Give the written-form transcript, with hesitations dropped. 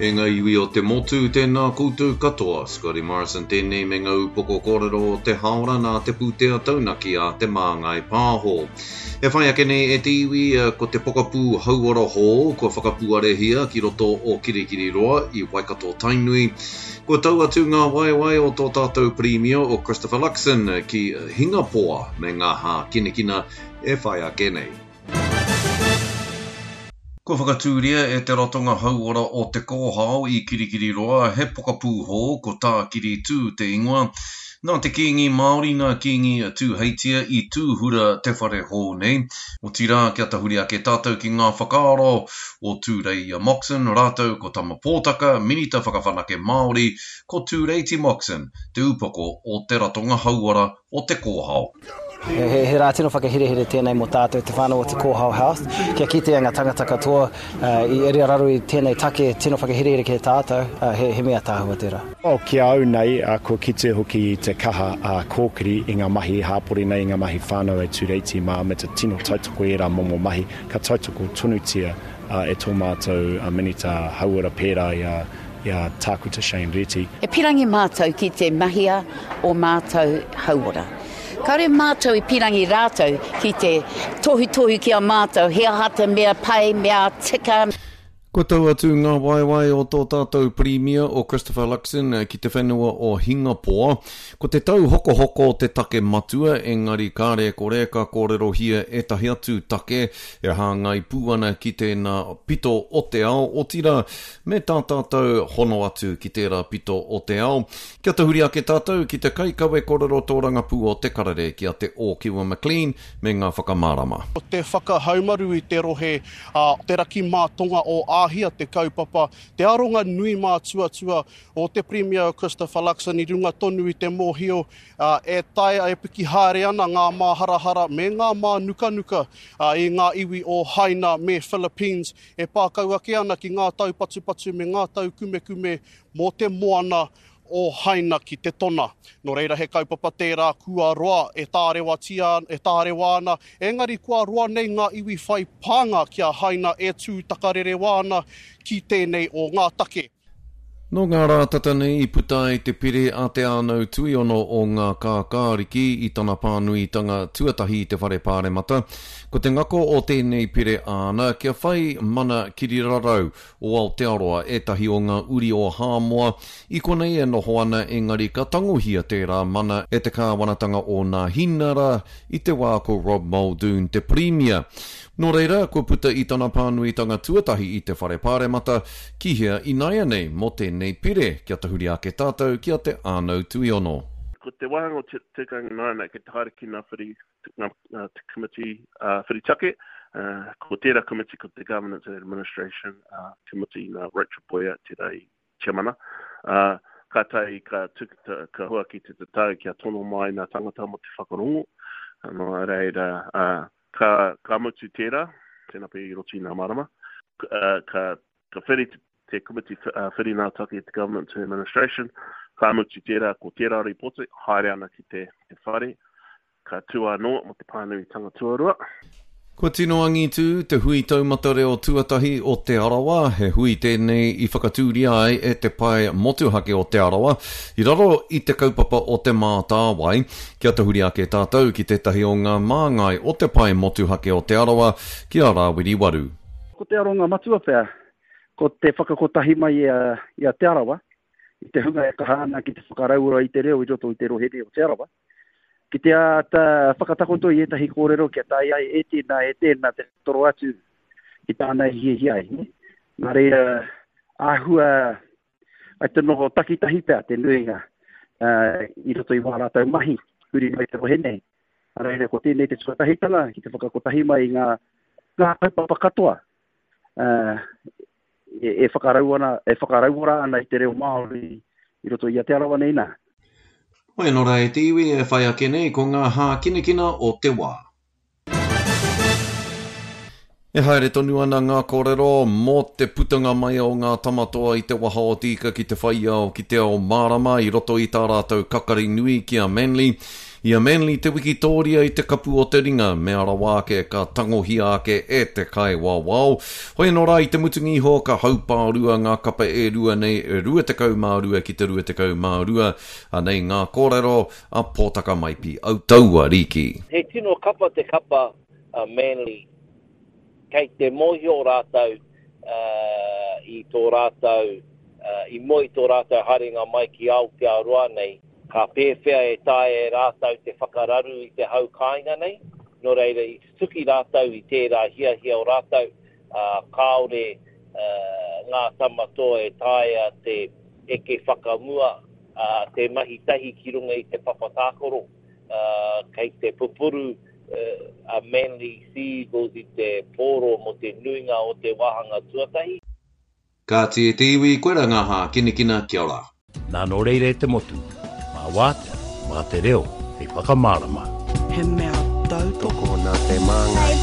E ngā iwi o te motu, tēnā koutou katoa. Scotty Morrison tēnei me ngā upoko kōrero o te haora nā te pūtea taunaki a Te Māngai Pāho. E whai ake nei e te iwi, ko te pokapū hauora hou kua whakapuarehia ki roto o Kirikiriroa i Waikato Tainui. Kua tau atu ngā waewae o tō tātou Pirimia o Christopher Luxon ki Hingapoa me ngā hākinakina e whai ake nei. Kua whakatūria e Te Ratonga Hauora o Te Kōhao i Kirikiriroa he pokapū hou, ko Tākiri Tū te ingoa. Nā te Kīngi Māori, nā Kīngi Tūheitia i tūhura te whare hou nei. Otirā, kia tahuri ake tātou ki ngā whakaaro o Tūreia Moxon rātou ko Tama Pōtaka, Minita Whakawhanake Māori, ko Tūreiti Moxon, te upoko o Te Ratonga Hauora o Te Kōhao. He rā tino whakaherehere tēnei mō tātou te whānau o Te Kōhao Health, kia kitea ngā tangata katoa i raro i tēnei take tino whakaherehere ki a tātou, he mea tāhua tērā. Oh, ki a au nei, kua kite hoki i te kaha a Kōkiri i ngā mahi hāpori nei, i ngā mahi whānau e Tūreiti mā, me te tino tautoko i ērā momo mahi, ka tautoko tonutia e tō mātou Minita Hauora pērā i a i a Tākuta Shane Reti. E pirangi mātou ki te mahia o mātou hauora. Kāore mātou i pirangi rātou ki te tohutohu ki a mātou he aha te mea pai, mea tika. Kua tau atu ngā waewae o tō tātou Pirimia o Christopher Luxon ki te whenua o Hingapoa. Ko te tauhokohoko te take matua, engari kāre e kore ka kōrerohia ētahi atu take e hāngai pū ana ki tēnā pito o te ao, otirā, Me tā tātou hono atu ki tērā pito o te ao, kia tahuri ake tātou ki te kaikawe korero tōrangapū o Te Karere ki a Te Ōkiwa McLean me ngā whakamārama. Ko te whakahaumaru i te rohe a te raki mā tonga o Āhia te kaupapa, te aronga nui mātuatua o te Pirimia Christopher Luxon i runga tonu i te mōhio e taea e piki haere ana ngā māharahara me ngā mānukanuka i ngā iwi o Haina me Philippines E pā kau ake ana ki ngā taupatupatu me ngā taukumekume mō te moana o Haina ki te tona. Nō reira he kaupapa tērā kua roa e tārewatia, e tārewa ana, engari kua roa nei ngā iwi whai pānga ki a Haina e tū takarerewa ana ki tēnei o ngā take. Nō ngā rā tata nei i puta ai te pire a Te Ānau Tuiono o Ngā Kākāriki i tana pānuitanga tuatahi i te Whare Pāremata. Ko te ngako o tēnei pire āna kia whai mana kirirarau o Aotearoa ētahi o ngā uri o Hāmoa i konei e noho ana engari ka tangohia tērā mana e te kāwanatanga o Nāhinara i te wā ko Rob Muldoon te Pirimia. Nō reira, kua puta i tana pānuitanga tuatahi i te Whare Pāremata, ki hea ināianei mō tēnei pire, kia tahuri ake tātou ki a Te Ānau Tuiono. Ko te wāhanga o te tikanga nāna kei te haere ki ngā whiri, ngā, te komiti whiri take, ko tērā komiti ko te Governance and Administration Committee nā Rachel Boyer tērā i tiamana, ā, kātahi ka tuku, ka huaki te tatau kia tono mai ngā tangata mō te whakarongo, nō reira, ā, ka, ka mutu tērā, tēnā pea i roto i ngā marama, ka, ka, ka whiri te, te komiti whiri ngā take te Government to Administration, ka mutu tērā, ko tērā rīpoti, haere ana ki te, te whare, Ka tū anō mō te pānuitanga tuarua. Kua tino angitū te hui taumata reo tuatahi o Te Arawa, he hui tēnei i whakatūria ai e Te Pae Motuhake o Te Arawa i raro i te kaupapa o Te Mātāwai. Kia tahuri ake tātou ki tētahi o ngā māngai o Te Pae Motuhake o Te Arawa, ki a Rāwiri Waru. Ko te aronga matua pea, ko te whakakotahi mai i a Te Arawa, i te hunga e kaha ana ki te whakarauora i te reo i roto i te rohe nei o Te Arawa, ki te āta whakatakoto i ētahi kōrero kia taea ai e tēnā, e tēnā te toro atu ki tāna i hiahia ai. Ne? Nā reira, āhua ai te noho takitahi pea te nuinga uh, i roto i wā rātou mahi, huri mai te rohe nei. Nā reira, ko tēnei te tuatahitanga ki te whakakotahi mai i ngā, ngā kaupapa katoa uh, e, e, whakarau ana, e whakarauora ana i te reo Māori i roto i a Te Arawa nei nā. Hoi anō rā e te iwi e whai ake nei ko ngā hākinakina o te wā. E haere tonu ana ngā kōrero mō te putanga mai o ngā tamatoa i te waha o te ika ki te whai ao ki te ao mārama i roto i tā rātou kakari nui ki a Manly. I a Manly te wikitōria i te kapu o te ringa, mea rawa ake ka tangohia ake e te kaiwawao. Hoi anō rā i te mutunga iho ka haupārua ngā kapa e rua nei, 22 ki te 22. Anei ngā kōrero a Pōtaka Maipi Autaua Riki. He tino kapa te kapa a Manly. Kei te mōhio rātou i tō rātou, i mua i tō rātou haerenga mai ki Aotearoa nei, ka pēwhea e taea e rātou te whakararu i te hau kāinga nei, nō reira i tutuki rātou i tērā hiahia o rātou, ā, kāore ngā tama toa e taea te eke whakamua, ā, te mahi tahi ki runga i te papa tākaro, ā, kei te pupuru a Manly Sea Eagles i te pōro mō te nuinga o te wāhanga tuatahi. Kāti e te iwi, koira ngā hākinakina, kia ora. Nā nō reira e te motu, mā wātea, mā te reo hei whakamārama. He mea tautoko. Tokona te māngai.